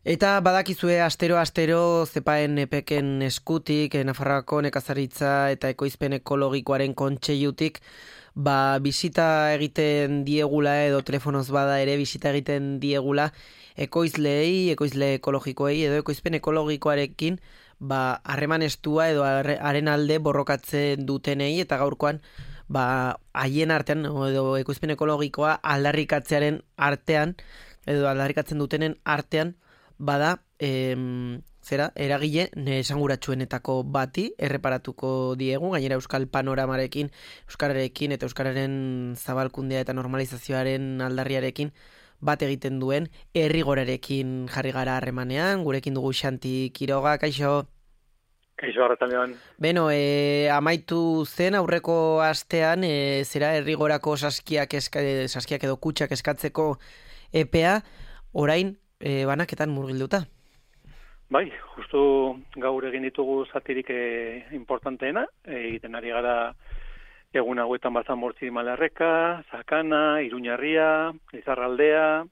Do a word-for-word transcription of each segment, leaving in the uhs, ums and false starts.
Eta badakizue astero-astero zepaen epeken eskutik, Nafarroako nekazaritza eta ekoizpen ekologikoaren kontseilutik, ba, bisita egiten diegula edo telefonoz bada ere bisita egiten diegula ekoizleei, ekoizle ekologikoei edo ekoizpen ekologikoarekin ba, harreman estua edo haren alde borrokatzen dutenei eta gaurkoan ba, haien artean edo ekoizpen ekologikoa aldarrikatzearen artean edo aldarrikatzen dutenen artean bada, em, zera, eragile esanguratsuenetako bati erreparatuko diegu, gainera Euskal Panoramarekin, Euskararekin eta Euskararen zabalkundea eta normalizazioaren aldarriarekin bat egiten duen Errigorarekin jarri gara harremanean, gurekin dugu Xanti Quiroga, kaixo? Kaixo, arratsaldean. Beno, e, amaitu zen aurreko astean, e, zera Errigorako saskiak, eska, saskiak edo kutxak eskatzeko epea, orain E, banaketan murgilduta. Bai, justu gaur egin ditugu zatirik e, importanteena, egiten ari gara egun hauetan bazan bortzi Malarreka, Sakana, Iruñarria, Lizarraldea,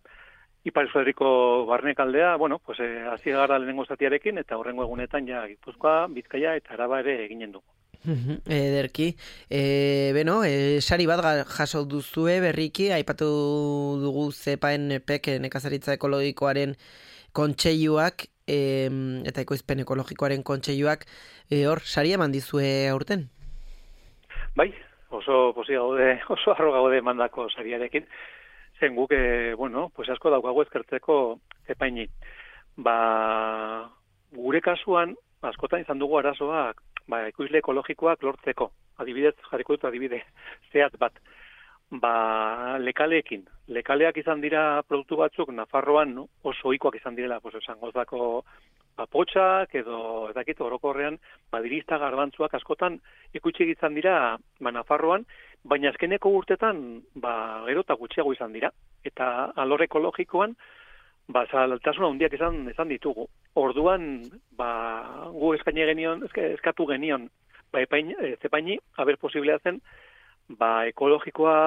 Ipar Euskal Herriko Barnekaldea, bueno, pues e, hasi gara lehenengo zatiarekin eta horrengo egunetan ja Gipuzkoa, Bizkaia eta Araba ere eginen dugu. Ederki, e, beno, e, sari bat jaso duzue berriki, aipatu dugu zepaen epek nekazaritza ekologikoaren kontseiluak e, eta ekoizpen ekologikoaren kontseiluak, e, hor, sari eman dizue aurten? Bai, oso posi gaude, oso arro gaude mandako sariarekin, zen guk, e, bueno, pues asko daukagu ezkertzeko zepaini. Ba, gure kasuan, askotan izan dugu arazoak, ba, ekoizle ekologikoak lortzeko. Adibidez, jarriko dut adibide zehatz bat. Ba, lekaleekin. Lekaleak izan dira produktu batzuk Nafarroan no? oso ohikoak izan direla, pues esangozako ba, potxak edo ez dakit orokorrean badirista garbantzuak askotan ikutsi izan dira ba, Nafarroan, baina azkeneko urtetan ba, gero eta gutxiago izan dira. Eta alor ekologikoan ba, zaltasuna handiak izan, izan ditugu. Orduan, ba, gu eskaini genion, eskatu genion, ba, epain, e, zepaini, haber posiblea zen, ba, ekologikoa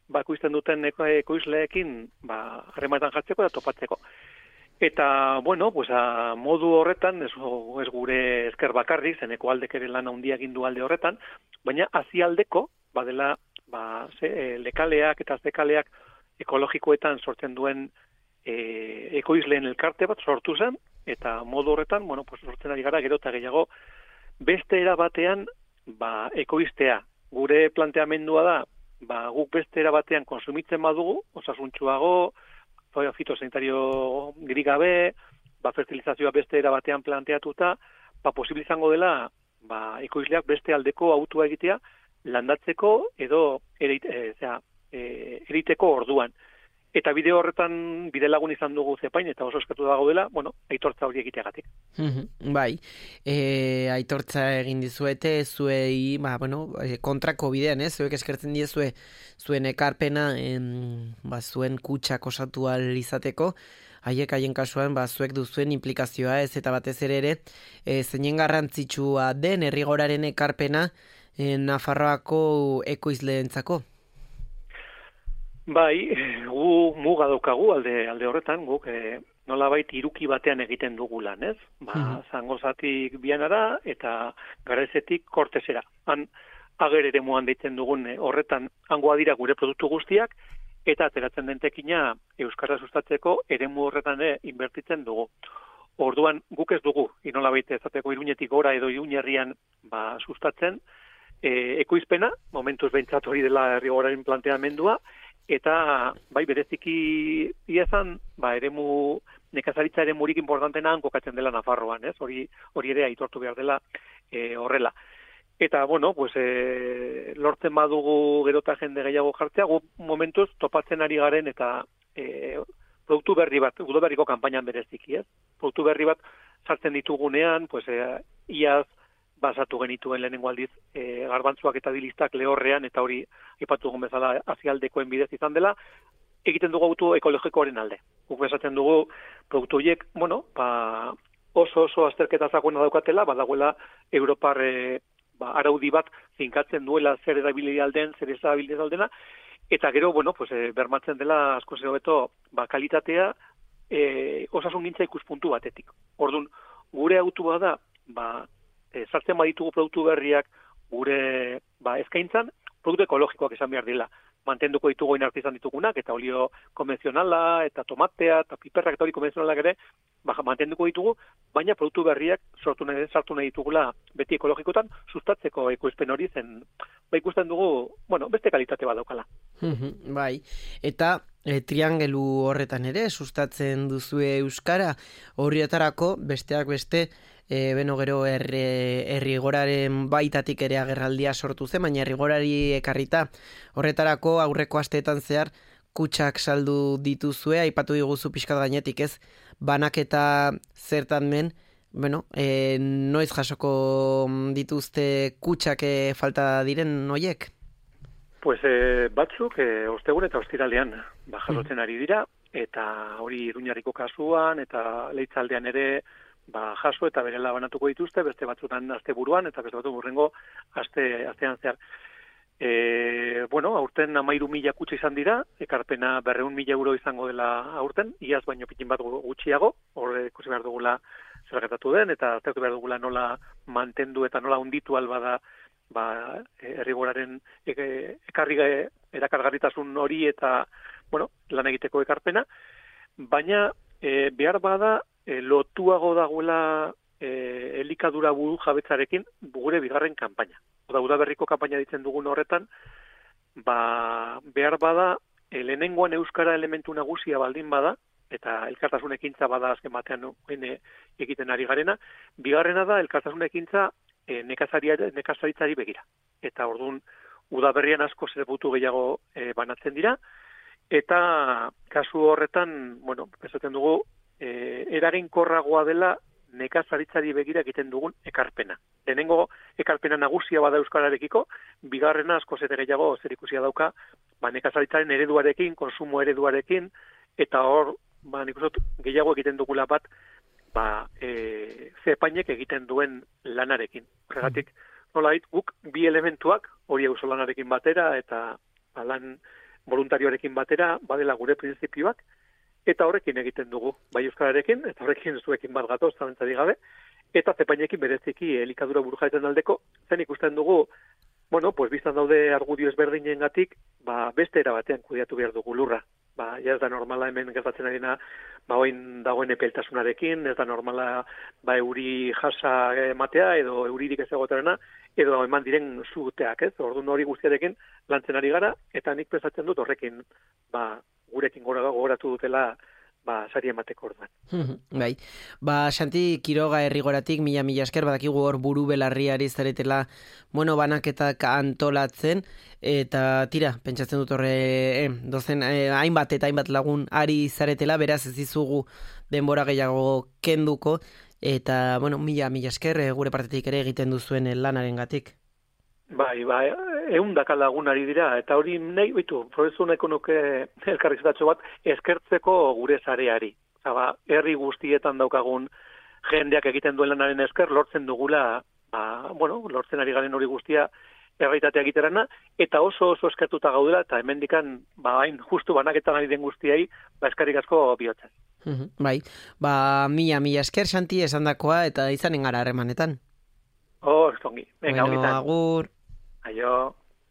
ba, ekoizten duten eko, ekoizleekin, ba, harremanetan jartzeko eta topatzeko. Eta, bueno, pues, a, modu horretan, ez, ez gure esker bakarrik, zeneko aldek ere lan handia egin du alde horretan, baina azialdeko, badela, ba, ze, e, lekaleak eta zekaleak ekologikoetan sortzen duen E, ekoizleen elkarte bat sortu zen, eta modu horretan, bueno, pues sortzen ari gara gero eta gehiago, beste era batean, ba, ekoiztea. Gure planteamendua da, ba, guk beste era batean konsumitzen badugu, osasuntxuago, fitosanitario grigabe, ba, fertilizazioa beste era batean planteatuta, ba, posible izango dela, ba, ekoizleak beste aldeko autua egitea, landatzeko edo erite, e, zera, e, eriteko orduan. Eta bide horretan bide lagun izan dugu zepain, eta oso eskatu dago dela, bueno, aitortza hori egiteagatik. Bai, e, aitortza egin dizuete, zuei, ba, bueno, kontrako bidean, ez? Zuek eskertzen diezue zuen ekarpena, en, ba, zuen kutxak osatu ahal izateko, haiek haien kasuan, ba, zuek duzuen implikazioa ez, eta batez ere ere, e, zeinen garrantzitsua den Errigoraren ekarpena e, Nafarroako ekoizleentzako. Bai, gu muga daukagu alde alde horretan, guk e, nolabait iruki batean egiten dugu lan, ez? Ba, mm-hmm. Zangozatik bianara eta Garezetik Kortesera. Han ager ere muan deitzen dugun e, horretan hangoa dira gure produktu guztiak eta ateratzen den tekina euskara sustatzeko eremu horretan ere inbertitzen dugu. Orduan guk ez dugu, nolabait ezateko Iruñetik gora edo Iruñerrian ba sustatzen e, ekoizpena, momentuz behintzat hori dela Errigoraren planteamendua. Eta, bai, bereziki iazan, ba, eremu, nekazaritza ere murik importantena kokatzen dela Nafarroan, ez? Hori, hori ere aitortu behar dela e, horrela. Eta, bueno, pues, e, lortzen badugu gerota jende gehiago jartzea, gu momentuz topatzen ari garen eta e, produktu berri bat, udoberriko kanpainan bereziki, ez? Produktu berri bat sartzen ditugunean, pues, e, iaz, basatu genituen lehenengo aldiz e, garbantzuak eta dilistak lehorrean, eta hori ipatu dugun bezala azialdekoen bidez izan dela, egiten dugu auto ekologikoaren alde. Guk besatzen dugu produktu horiek, bueno, ba, oso oso azterketa zagoena daukatela, badagoela Europar e, ba, araudi bat finkatzen duela zer erabili alden, zer ez erabili aldena, eta gero, bueno, pues, e, bermatzen dela asko hobeto ba, kalitatea, e, osasun gintza ikuspuntu batetik. Orduan, gure autua da, ba, e, sartzen baditugu produktu berriak gure ba, eskaintzan, produktu ekologikoak esan behar dira. Mantenduko ditugu inarti izan ditugunak, eta olio konvenzionala, eta tomatea, eta piperrak eta hori konvenzionalak ere, ba, mantenduko ditugu, baina produktu berriak sortu nahi, sartu nahi ditugula beti ekologikotan, sustatzeko ekoizpen hori zen, ba, ikusten dugu, bueno, beste kalitate bat daukala. Bai, eta e, triangelu horretan ere, sustatzen duzue euskara, horietarako besteak beste, E, beno gero errigoraren baitatik ere agerraldia sortu zen, baina errigorari ekarrita horretarako aurreko asteetan zehar kutsak saldu dituzue, aipatu diguzu pixkat gainetik ez, banaketa zertan men, bueno, e, noiz jasoko dituzte kutsak e, falta diren noiek? Pues e, batzuk e, ostegun eta ostiralean ba, jasotzen ari dira, eta hori Iruñarriko kasuan, eta Leitzaldean ere ba, jaso eta berela banatuko dituzte, beste batzutan asteburuan eta beste batzu burrengo aste, astean zehar. E, bueno, aurten amairu mila kutsa izan dira, ekarpena berreun mila euro izango dela aurten, iaz baino pikin bat gutxiago, horre ikusi behar dugula zer gertatu den, eta aztertu behar dugula nola mantendu eta nola onditu alba da ba, errigoraren e, ekarri erakargarritasun hori eta bueno, lan egiteko ekarpena, baina e, behar bada E, lotuago dagoela e, elikadura buru jabetzarekin gure bigarren kanpaina. Oda, udaberriko kanpaina ditzen dugun horretan, ba, behar bada, e, lehenengoan euskara elementu nagusia baldin bada, eta elkartasun ekintza bada azken batean e, egiten ari garena, bigarrena da elkartasun ekintza e, nekazaritzari begira. Eta orduan, udaberrian asko zerbutu gehiago e, banatzen dira, eta kasu horretan, bueno, esaten dugu, E, eraginkorragoa dela nekazaritzari begira egiten dugun ekarpena. Lehenengo ekarpena nagusia bada euskararekiko, bigarrena asko zete gehiago zerikusia dauka, ba, nekazaritzaren ereduarekin, konsumo ereduarekin, eta hor, ba, nik uste gehiago egiten dugula bat, ba, e, zepainek egiten duen lanarekin. Horregatik, nolait, guk bi elementuak, hori auzo lanarekin batera, eta ba, lan voluntarioarekin batera, badela gure printzipioak, eta horrekin egiten dugu, bai euskararekin, eta horrekin zuekin bat gatoz, zabentzari gabe, eta zepainekin bereziki elikadura burujaetan aldeko, zen ikusten dugu, bueno, pues biztan daude argudio ezberdinen gatik, ba, beste erabatean kudiatu behar dugu lurra. Ba, ja ez da normala hemen gertatzen arina, ba, oin dagoen epeltasunarekin, ez da normala, ba, euri jasa ematea, edo euririk ez egoterena, edo eman diren zuteak, ez? Orduan hori guztiarekin lantzen ari gara, eta nik pensatzen dut horrekin, ba, gurekin gora gogoratu dutela ba, sari emateko orduan. Bai, ba, Santi Quiroga errigoratik, mila mila esker, badakigu hor buru belarriari zaretela, bueno, banaketak antolatzen, eta tira, pentsatzen dut horre, eh, dozen, eh, hainbat eta hainbat lagun ari zaretela, beraz ez dizugu denbora gehiago kenduko, eta, bueno, mila mila esker, eh, gure partetik ere egiten duzuen lanaren gatik. Bai, bai, eundaka lagun ari dira, eta hori nahi, bitu, prozesu nahiko nuke elkarrizetatxo bat, eskertzeko gure zareari. Ba, herri guztietan daukagun jendeak egiten duen lanaren esker, lortzen dugula, ba, bueno, lortzen ari garen hori guztia erraitatea egiterana, eta oso oso eskertuta gaudela, eta hemendikan, ba, hain justu banaketan ari den guztiai, ba, eskarik asko bihotzen. Bai, ba, mila, mila esker, Santi, esandakoa, eta izanen gara harremanetan. Oh, estongi. Venga, bueno, agur. Aio.